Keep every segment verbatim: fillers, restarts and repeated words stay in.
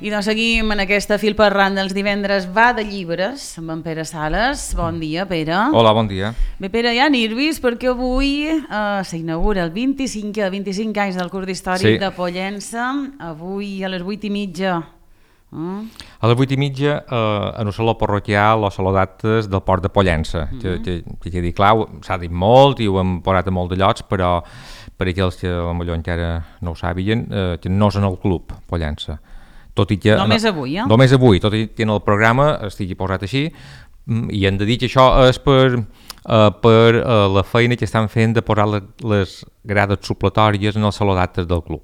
I doncs seguim en aquesta fil parlant dels divendres va de llibres amb en Pere Sales. Bon dia, Pere. Hola, bon dia. Bé, Pere, hi ha nervis perquè avui eh, s'inaugura el vint-i-cinquè, vint-i-cinc anys del curs d'històric sí. de Pollença. Avui a les vuit i mitja. Mm. A les vuit i mitja eh, en el saló parroquial o saló d'actes del port de Pollença. Mm -hmm. que, que, que dir, clar, s'ha dit molt i ho hem posat a molt de llocs, però per aquells que potser encara no ho sàpiguen, eh, que no és en el club Pollença. Tot i que, només avui, eh? Només avui, tot i que en el programa estigui posat així, i hem de dir que això és per, uh, per uh, la feina que estan fent de posar les, les grades supletòries en el saló d'actes del club.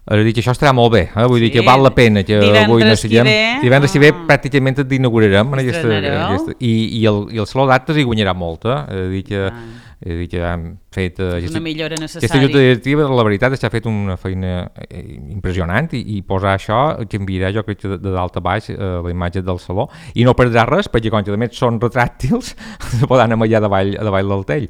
És a dir, que això estarà molt bé, eh? Vull sí. dir que val la pena que divendres avui no siguem... Ve, divendres que ah. ve pràcticament et inaugurarem en aquesta, aquesta, i, i, el, i el saló d'actes hi guanyarà molt, eh? És a dir que... Ah. És a dir que hem fet... Uh, és una millora necessària. Aquesta junta directiva, la veritat, és que ha fet una feina eh, impressionant i, i posar això canviarà, jo crec que de, de dalt a baix, eh, la imatge del saló, i no perdrà res, perquè com que a més són retràctils, se poden anar allà davall, davall del tell.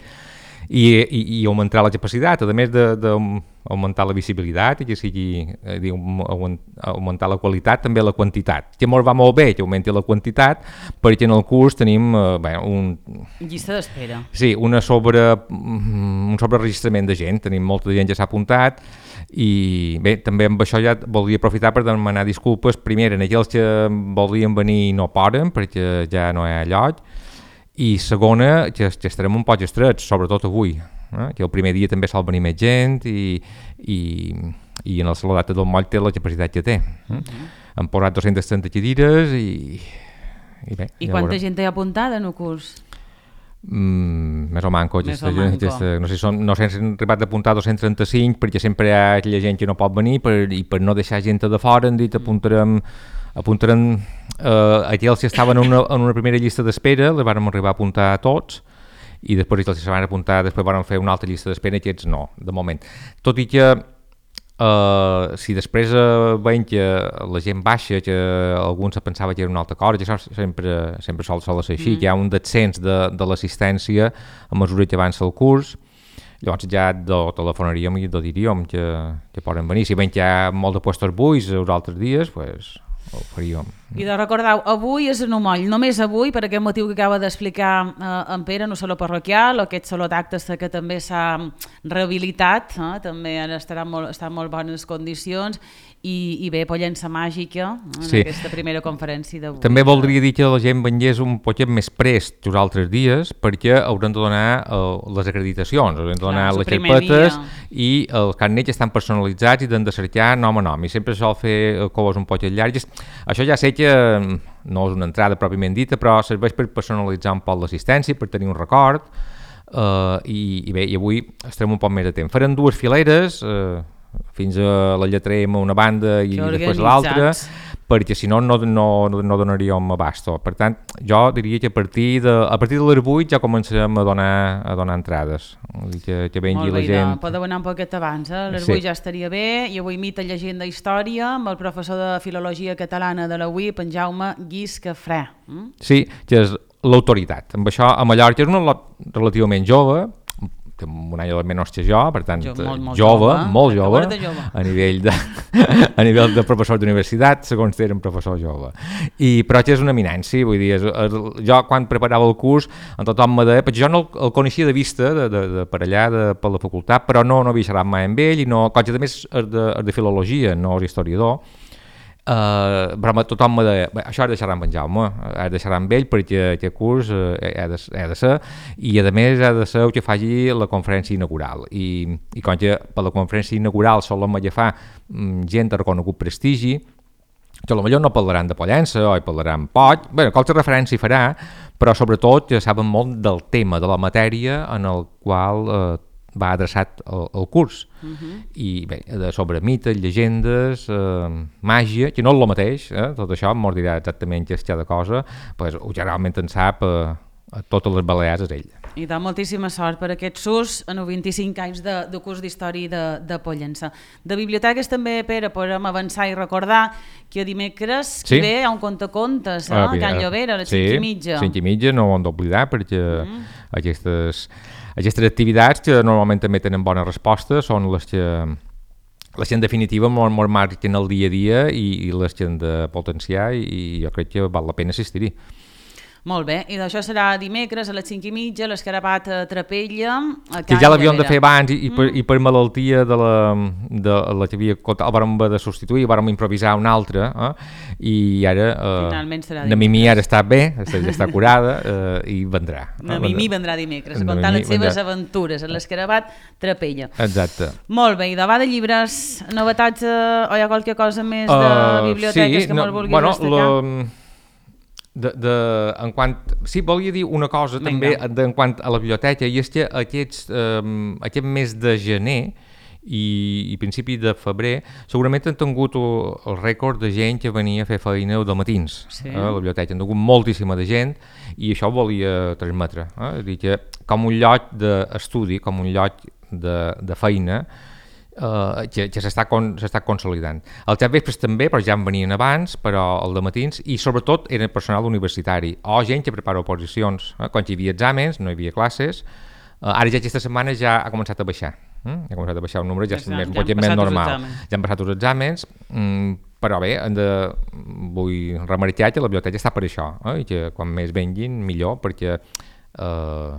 I, i, i augmentar la capacitat, a més d'augmentar la visibilitat i que sigui, eh, dir, augmentar la qualitat, també la quantitat, que ens va molt bé que augmenti la quantitat, perquè en el curs tenim eh, bé, un... llista d'espera. Sí, una sobre, un sobreregistrament de gent, tenim molta gent que s'ha apuntat, i bé, també amb això ja voldria aprofitar per demanar disculpes, primer en aquells que voldrien venir i no poden, perquè ja no hi ha lloc, i segona, que, que estarem un poc estrets, sobretot avui, eh? que el primer dia també sol venir més gent i, i, i en el saló d'actes del Moll té la capacitat que té. Eh? Mm-hmm. Hem posat dues-centes trenta cadires i, i bé. I quanta veurem. Gent hi ha apuntada en el curs? Mm, més o manco, més gesta, o manco. Gesta, no sé si són, no sé si han arribat a apuntar dos-cents trenta-cinc perquè sempre hi ha aquella gent que no pot venir per, i per no deixar gent de fora han dit apuntarem apuntarem eh, aquells que estaven en una, en una primera llista d'espera, les vàrem arribar a apuntar a tots i després aquells que se van apuntar després vàrem fer una altra llista d'espera i aquests no, de moment. Tot i que eh, si després eh, veiem que la gent baixa, que algú se pensava que era una altra cosa, que això sempre, sempre sol, sol ser així, mm. que hi ha un descens de, de l'assistència a mesura que avança el curs, llavors ja do, telefonaríem i do diríem que, que poden venir. Si veiem que hi ha molt de puestos buits els altres dies, pues, ho faríem. I de recordeu, avui és en un moll, només avui, per aquest motiu que acaba d'explicar eh, en Pere, en un saló parroquial, aquest saló d'actes que també s'ha rehabilitat, eh, també estarà molt, està en molt bones condicions, i, i bé, Pollença Màgica, en sí. aquesta primera conferència d'avui. També voldria dir que la gent vengués un poquet més prest que els altres dies, perquè haurem de donar uh, les acreditacions, haurem de donar Clar, les xerpetes i els carnets estan personalitzats i han de cercar nom a nom, i sempre sol fer coses un poquet llargues. Això ja sé que no és una entrada pròpiament dita, però serveix per personalitzar un poc l'assistència, per tenir un record, uh, i, i bé, i avui estarem un poc més de temps. Farem dues fileres, uh, fins a la lletra M a una banda i després a l'altra, perquè si no no, no, no donaríem abasto. Per tant, jo diria que a partir de, a partir de les vuit ja començarem a donar, a donar entrades. Que, que vengui la gent... Molt bé, podeu anar un poquet abans, eh? A les vuit sí. ja estaria bé, i avui mita llegenda història amb el professor de Filologia Catalana de la U I P, en Jaume Guiscafré. Mm? Sí, que és l'autoritat. Amb això, a Mallorca és un lot relativament jove, que un any menys que jo, per tant, jo, molt, molt jove, jove, molt jove, jove, a nivell de, a nivell de professor d'universitat, segons era un professor jove. I, però que és una eminència, vull dir, és, és, jo quan preparava el curs, en tothom me deia, perquè jo no el, el coneixia de vista, de, de, de per allà, de, per la facultat, però no, no havia xerrat mai amb ell, i no, que a més és de, és de filologia, no és historiador. Uh, però tothom me deia, això has de xerrar amb en Jaume, has de xerrar amb ell perquè aquest curs uh, ha, de, ha de ser, i a més ha de ser el que faci la conferència inaugural, i, i com que per la conferència inaugural solem agafar um, gent de reconegut prestigi, que potser no parlaran de Pollença o hi parlaran poc, bé, qualsevol referència hi farà, però sobretot que saben molt del tema, de la matèria en el qual uh, va adreçat el, el curs. Uh-huh. I bé, de sobre mites, llegendes, eh, màgia, que no és el mateix, eh? Tot això m'ho dirà exactament què és cada cosa, pues, ho generalment en sap eh, a totes les Balears és ell. I de moltíssima sort per aquest sus en els vint-i-cinc anys de, de curs d'història de, de Pollença. De biblioteques també, Pere, podem avançar i recordar que dimecres sí. ve hi ha un contacontes eh? a Can Llobera, a les sí, cinc i mitja. cinc i mitja, no ho hem d'oblidar, perquè mm. aquestes, aquestes activitats que normalment també tenen bona resposta són les que, les que en definitiva molt, molt marquen el dia a dia i, i les que han de potenciar i, i jo crec que val la pena assistir-hi. Molt bé, i d'això serà dimecres a les cinc i mitja, l'escarabat a Trapella. A que ja l'havíem de fer abans i, i, per, mm. i per malaltia de la, de la que havia el vàrem de substituir, vàrem improvisar una altra, eh? I ara eh, la Mimi ara està bé, ja està curada eh, i vendrà. La Mimi vendrà dimecres, a contar les seves aventures a l'escarabat Trapella. Exacte. Molt bé, i davant de llibres, novetats eh, o hi ha qualque cosa més de uh, biblioteques sí, que no, molt vulguis bueno, destacar? La... De, de, en quant, sí, volia dir una cosa Vinga. també de, en quant a la biblioteca, i és que aquests, eh, aquest mes de gener i, i principi de febrer segurament han tingut el rècord de gent que venia a fer feina de matins sí. a la biblioteca. Han tingut moltíssima de gent i això ho volia transmetre. Eh? És dir, que com un lloc d'estudi, com un lloc de, de feina, Uh, que, que s'està con, consolidant. Els vespres també, però ja en venien abans, però el de matins, i sobretot era personal universitari, o gent que prepara oposicions. Eh? Quan hi havia exàmens, no hi havia classes, uh, ara ja aquesta setmana ja ha començat a baixar. Eh? Ha començat a baixar el número, ja, ja, més, ja més normal. Ja han passat els exàmens, mm, però bé, hem de, vull remarcar que la biblioteca està per això, eh? I que quan més venguin, millor, perquè uh,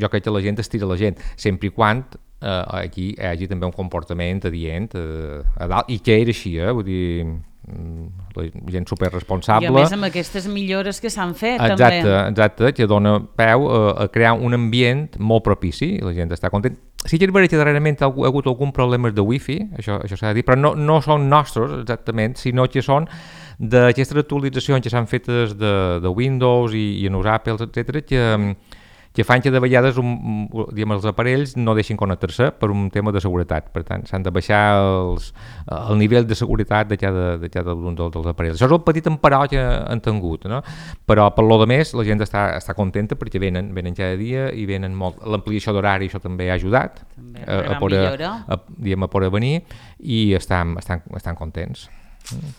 jo crec que la gent estira la gent, sempre i quan Uh, aquí hi hagi també un comportament adient uh, a dalt, i que era així, eh? Vull dir, la gent superresponsable. I a més amb aquestes millores que s'han fet exacte, també. Exacte, que dona peu uh, a crear un ambient molt propici i la gent està content. Sí que és veritat que darrerament ha hagut algun problemes de wifi, això, això s'ha de dir, però no, no són nostres exactament, sinó que són d'aquestes actualitzacions que s'han fetes de, de Windows i, i en els Apple, etcètera, que que fan que de vegades un, diguem, els aparells no deixin connectar-se per un tema de seguretat. Per tant, s'han de baixar els, el nivell de seguretat de cada, de cada un dels, dels aparells. Això és el petit emparó que han tingut, no? Però per lo de més la gent està, està contenta perquè venen, venen cada dia i venen molt. L'ampliació d'horari això també ha ajudat també, a, a, poder, a, diguem, a poder venir i estan, estan, estan contents. Mm.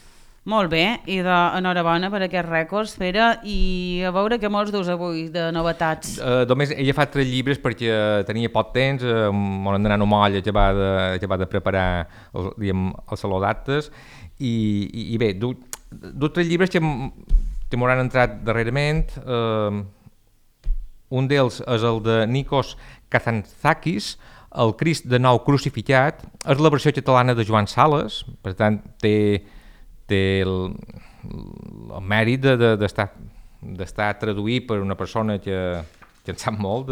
Molt bé, i d'enhorabona per aquests rècords, Pere, i a veure què molts dus avui de novetats. Uh, només he agafat tres llibres perquè tenia poc temps, uh, m'han d'anar a moll a acabar de, acabar de preparar el, diguem, el saló d'actes, i, i, i bé, du, du tres llibres que, que m'hauran entrat darrerament. Uh, un d'ells és el de Nikos Kazantzakis, El Crist de nou crucificat, és la versió catalana de Joan Sales, per tant té té el, el mèrit d'estar de, de, d'estar traduït per una persona que, que en sap molt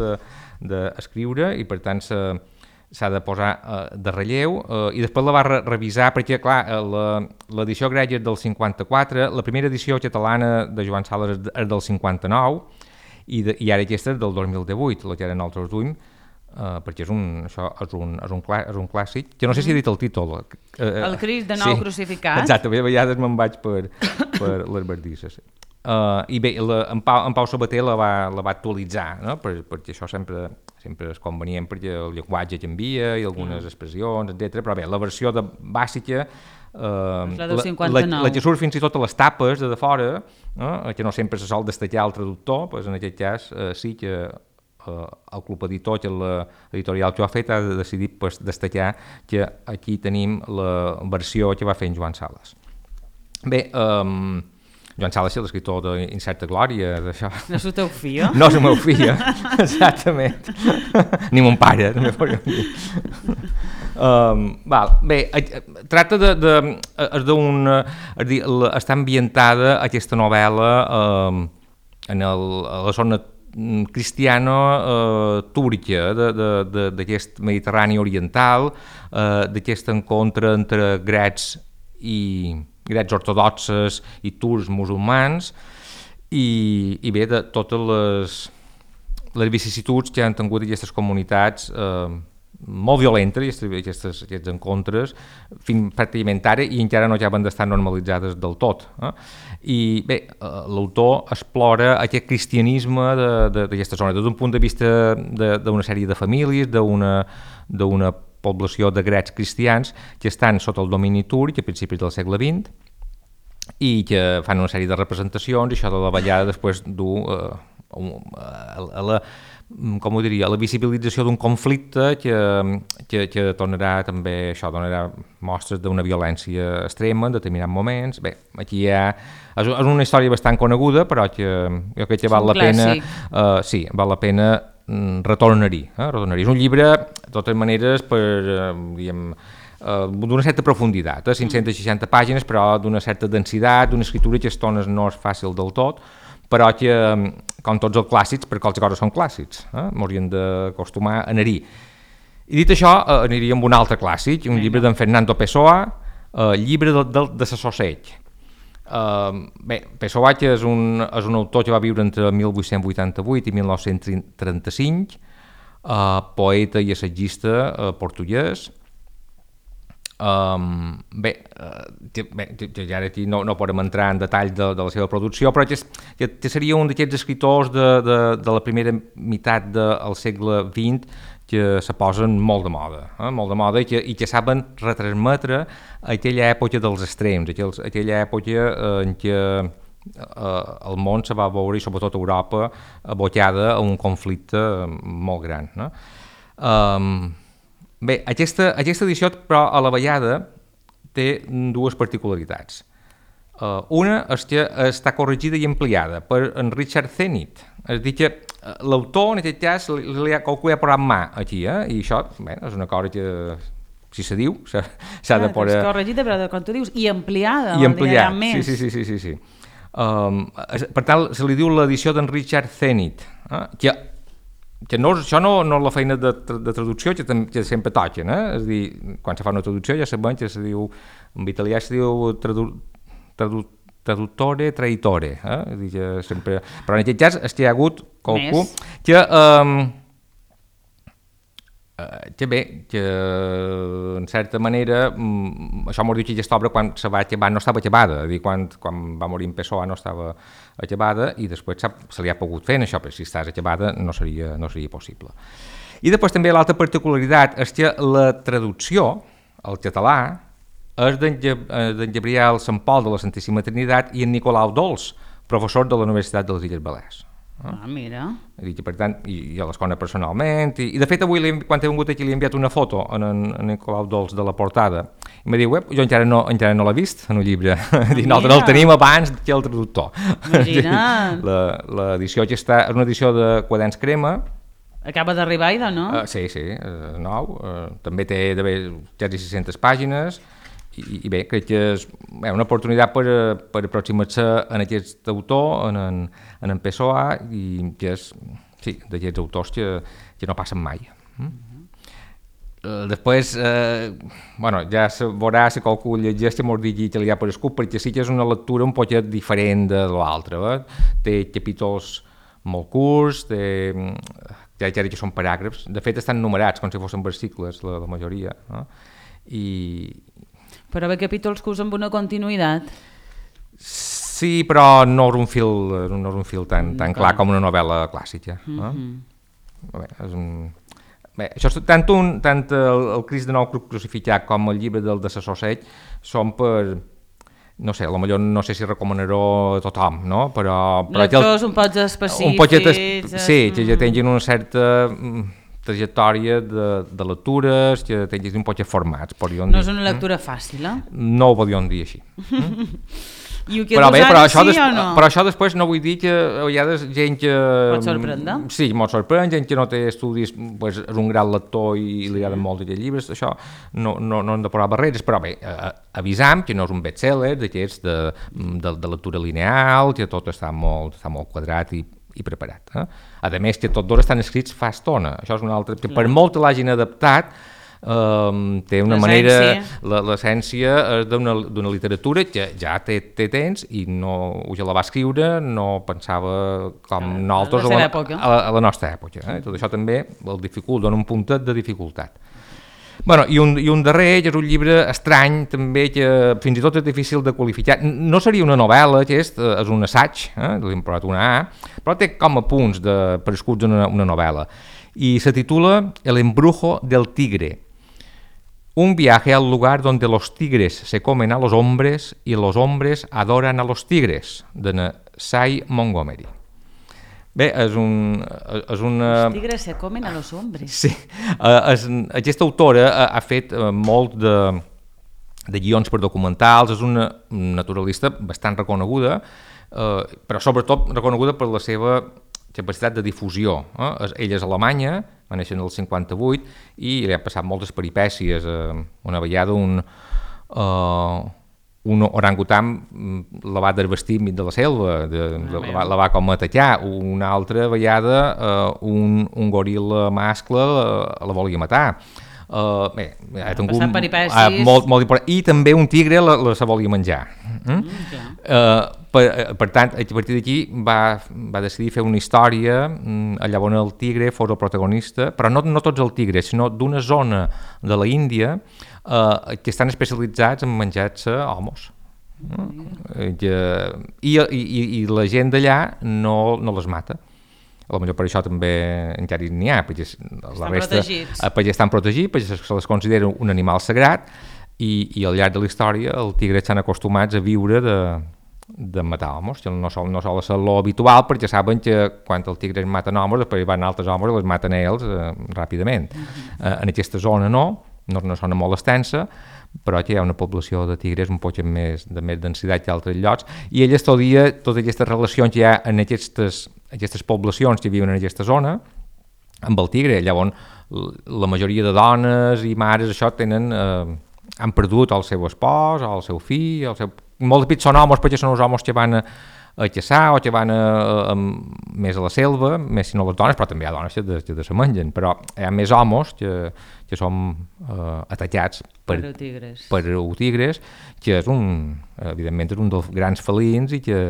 d'escriure de, i per tant s'ha de posar uh, de relleu uh, i després la va re revisar perquè clar, l'edició grega és del cinquanta-quatre, la primera edició catalana de Joan Sales és del cinquanta-nou i, de, i ara aquesta és del dos mil divuit, la que ara nosaltres duim. Uh, perquè és un, això és un, és, un clà, és un clàssic, que no sé si he dit el títol. Uh, el Crist de nou sí, crucificat. Exacte, a vegades me'n vaig per, per les bardisses. Uh, I bé, la, en, Pau, en Pau Sabater la va, la va actualitzar, no? per, perquè això sempre, sempre és convenient perquè el llenguatge canvia i algunes mm. expressions, etcètera. Però bé, la versió de bàsica, uh, la, la, la que surt fins i tot a les tapes de, de fora, no? Que no sempre se sol destacar el traductor, doncs en aquest cas uh, sí que el club editor, que l'editorial que ho ha fet, ha decidit pues, destacar que aquí tenim la versió que va fer en Joan Sales. Bé, um, Joan Sales és l'escriptor d'Incerta Glòria, d'això. No és el teu fill? No és el meu fill, exactament. Ni mon pare, també podríem dir. Um, val. Bé, tracta de... de, de d'un, de, està ambientada aquesta novel·la um, en el, a la zona cristiano-túrquia eh, d'aquest Mediterrani oriental, eh, d'aquest encontre entre grecs i grecs ortodoxes i turcs musulmans i, i bé, de totes les, les vicissituds que han tingut aquestes comunitats eh, molt violenta, aquests, aquests encontres, fins pràcticament ara, i encara no acaben d'estar normalitzades del tot. Eh? I bé, l'autor explora aquest cristianisme d'aquesta zona, des d'un punt de vista d'una sèrie de famílies, d'una població de grecs cristians que estan sota el domini turc a principis del segle vint i que fan una sèrie de representacions, i això de la ballada després du eh, a la com ho diria, la visibilització d'un conflicte que, que, que donarà també, això donarà mostres d'una violència extrema en determinats moments. Bé, aquí hi ha, és una història bastant coneguda, però que jo crec que val la pena, uh, sí, val la pena retornar-hi, eh? retornar-hi. És un llibre, de totes maneres, per, uh, diguem, uh, d'una certa profunditat, eh? cinc-centes seixanta pàgines, però d'una certa densitat, d'una escriptura que a estones no és fàcil del tot, però que, com tots els clàssics, per qualsevol cosa són clàssics, eh? m'haurien d'acostumar a anar-hi. I dit això, eh, aniria amb un altre clàssic, un llibre d'en Fernando Pessoa, eh, llibre de, de, de l'assosseig. Eh, bé, Pessoa que és un, és un autor que va viure entre mil vuit-cents vuitanta-vuit i mil nou-cents trenta-cinc, eh, poeta i assagista eh, portuguès. Um, bé, uh, bé, ja aquí no, no podem entrar en detall de, de la seva producció, però que, que, que seria un d'aquests escriptors de, de, de la primera meitat del segle vint que se posen molt de moda, eh? molt de moda i que, i que saben retransmetre aquella època dels extrems, aquells, aquella època eh, en què eh, el món se va veure, i sobretot Europa, abocada a un conflicte molt gran. No? Um, Bé, aquesta, aquesta edició, però, a la Vallada té dues particularitats. Uh, una és que està corregida i ampliada per en Richard Zenith. És a dir, que l'autor, en aquest cas, li, li ha, qualcú ha posat mà aquí, eh? I això, bé, és una cosa que, si se diu, s'ha de poder... És corregida, però com tu dius, i ampliada. I ampliada, sí, sí, sí, sí, sí, sí. Um, per tant, se li diu l'edició d'en Richard Zenith, eh? que que no, això no, no és la feina de, de traducció que, que sempre toquen, eh? És a dir, quan se fa una traducció ja sabem que se diu, en italià se diu tradu, tradu, traduttore, traitore, eh? És a dir, que sempre... Però en aquest cas és que hi ha hagut qualcú Més. que... Um, que bé, que en certa manera, um, això m'ho diu que aquesta obra quan se va acabar no estava acabada, és a dir, quan, quan va morir en Pessoa no estava acabada i després se li ha pogut fer en això, però si estàs acabada no seria, no seria possible. I després també l'altra particularitat és que la traducció al català és d'en Gabriel Sant Pol de la Santíssima Trinitat i en Nicolau Dols, professor de la Universitat de les Illes Balears. Ah, mira. I, per tant, i, i a l'escola personalment, i, i de fet avui, quan he vingut aquí, li he enviat una foto a en, en Nicolau Dols de la portada, i em diu, jo encara no, encara no l'he vist en un llibre, ah, i nosaltres el tenim abans que el traductor. Imagina't. L'edició que està, és una edició de Quaderns Crema. Acaba d'arribar, Ida, no? Uh, sí, sí, uh, nou, uh, també té d'haver quasi sis-centes pàgines, i, i bé, crec que és bé, una oportunitat per, per aproximar-se en aquest autor, en en, en en Pessoa, i que és, sí, d'aquests autors que, que no passen mai. Mm? Uh, després, eh, bueno, ja se veurà si qualcú llegeix que m'ho digui que li ha parescut, perquè sí que és una lectura un poquet diferent de l'altra. Eh? Té capítols molt curts, té, ja, ja que són paràgrafs, de fet estan numerats com si fossin versicles, la, la majoria. Eh? I... Però bé, capítols que usen una continuïtat. Sí, però no és un fil, no és un fil tan, tan clar com una novel·la clàssica. Mm-hmm. Eh? Bé, és un... Bé, això, tant, un, tant el, el Crist de Nou Crucificat com el llibre del de Sassosseig són per, no sé, potser no sé si recomanaré a tothom, no? Però, però lectors un poc específics. Un poquet es, sí, que ja tinguin una certa trajectòria de, de lectures, que tinguin un poc formats. No dir. És una lectura fàcil, eh? No ho podríem dir així. Mm? I ho però, bé, però, això sí des, o no? però això després no vull dir que hi ha gent que... Pot sorprendre? Sí, molt sorprèn, gent que no té estudis, pues, és un gran lector i li agraden molt aquests llibres, això no, no, no hem de posar barreres, però bé, eh, avisam que no és un bestseller d'aquests de, de, de lectura lineal, que tot està molt, està molt quadrat i, i preparat. Eh? A més, que tots dos estan escrits fa estona, això és una altra... Que per molt que l'hagin adaptat, eh, té una manera... L'essència és d'una literatura que ja té, té temps i no, ja la va escriure, no pensava com a nosaltres a la, a, a la nostra època. Eh? Tot això també el dificulta, dona un puntet de dificultat. Bueno, i, un, I un darrer, que és un llibre estrany, també, que fins i tot és difícil de qualificar. No seria una novel·la, que és, és un assaig, eh? L'hem posat una A, però té com a punts de, per escuts una, una novel·la. I se titula El embrujo del tigre. Un viaje al lugar donde los tigres se comen a los hombres y los hombres adoran a los tigres, de Sy Montgomery. Bé, és un... És una... Els tigres se comen a los hombres. Sí, és, aquesta autora ha, ha fet molt de, de guions per documentals, és una naturalista bastant reconeguda, eh, però sobretot reconeguda per la seva capacitat de difusió. Eh? Ella és alemanya, va néixer en el cinquanta-vuit, i li ha passat moltes peripècies. Eh, una vegada un... Eh, un orangutan la va desvestir enmig de la selva, de, de, la, va, la va com atacar. Una altra vegada uh, un, un goril·la mascle la, la volia matar. Uh, bé, ha tingut uh, molt, molt important. I també un tigre la, la se volia menjar. Mm? Mm, uh, per, per tant, a partir d'aquí va, va decidir fer una història um, allà on el tigre fos el protagonista, però no, no tots els tigres, sinó d'una zona de la Índia Uh, que estan especialitzats en menjar-se homes. Mm. I, i, i la gent d'allà no, no les mata. Potser per això també encara n'hi ha, perquè la resta perquè estan protegits, perquè se les considera un animal sagrat, i, i al llarg de la història els tigres estan acostumats a viure de, de matar homes, que no sol, no sol ser lo habitual, perquè saben que quan els tigres maten homes, després van altres homes i les maten a ells eh, ràpidament. Mm-hmm. Eh, en aquesta zona no, no és una zona molt extensa, però que hi ha una població de tigres un poc més, de més densitat que altres llocs, i ell estudia totes aquestes relacions que hi ha en aquestes, aquestes poblacions que viuen en aquesta zona amb el tigre. Llavors, la majoria de dones i mares això tenen, eh, han perdut el seu espòs, el seu fill, el seu... molts pits són homes perquè són els homes que van a a caçar o que van a, a, a, més a la selva, més si no les dones, però també hi ha dones que de, que de se mengen, però hi ha més homes que, que són eh, atacats per, per tigres. per tigres, que és un, evidentment és un dels grans felins i que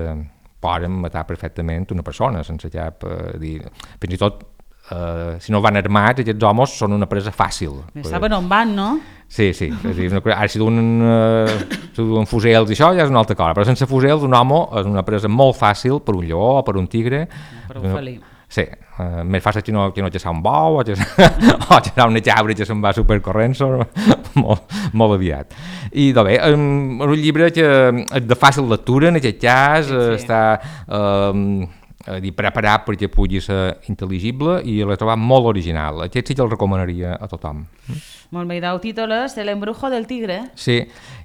poden matar perfectament una persona sense cap eh, dir, fins i tot Uh, si no van armats, aquests homes són una presa fàcil. Saben on van, no? Sí, sí. És dir, ara si duen, uh, si duen fusels i això ja és una altra cosa, però sense fusels un home és una presa molt fàcil per un lleó o per un tigre. Per un felí. Sí, uh, més fàcil que no, que no caçar un bou o caçar una cabra que se'n va supercorrent molt, molt aviat. I doncs bé, um, és un llibre que és de fàcil lectura en aquest cas, sí, sí. Està... Um, a dir, preparat perquè pugui ser intel·ligible, i l'he trobat molt original. Aquest sí que el recomanaria a tothom. Molt bé, el títol és El embrujo del tigre. Sí,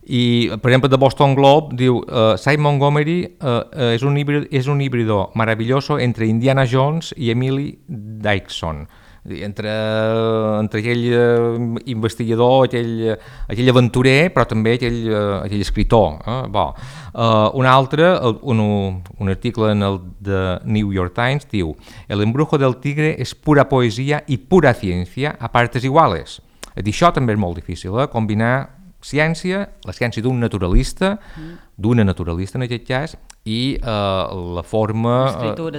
i per exemple de Boston Globe diu uh, Sy Montgomery uh, uh, és, un híbrido, és un híbrido maravilloso entre Indiana Jones i Emily Dickinson. Entre, entre aquell uh, investigador, aquell, aquell aventurer, però també aquell, uh, aquell escritor. Eh? Bon. Uh, un altre, un, un article en el The New York Times diu El embrujo del tigre és pura poesia i pura ciència a partes iguales. És dir, això també és molt difícil, eh? Combinar ciència, la ciència d'un naturalista, mm. d'una naturalista en aquest cas, i eh, la forma,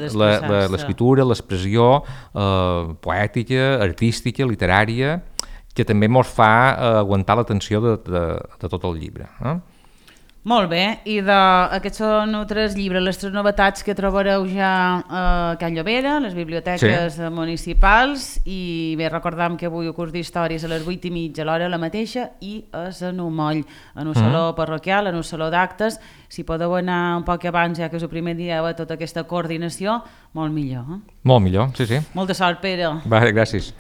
l'escriptura, l'expressió eh, poètica, artística, literària, que també ens fa eh, aguantar l'atenció de, de, de tot el llibre. Eh? Molt bé, i de, aquests són tres llibres, les tres novetats que trobareu ja a Can Llobera, les biblioteques sí. municipals, i bé, recordam que avui el curs d'històries a les vuit i mitja, a l'hora la mateixa, i és en un moll, en un saló mm. parroquial, en un saló d'actes. Si podeu anar un poc abans, ja que és el primer dia de tota aquesta coordinació, molt millor. Eh? Molt millor, sí, sí. Molta sort, Pere. Va, gràcies.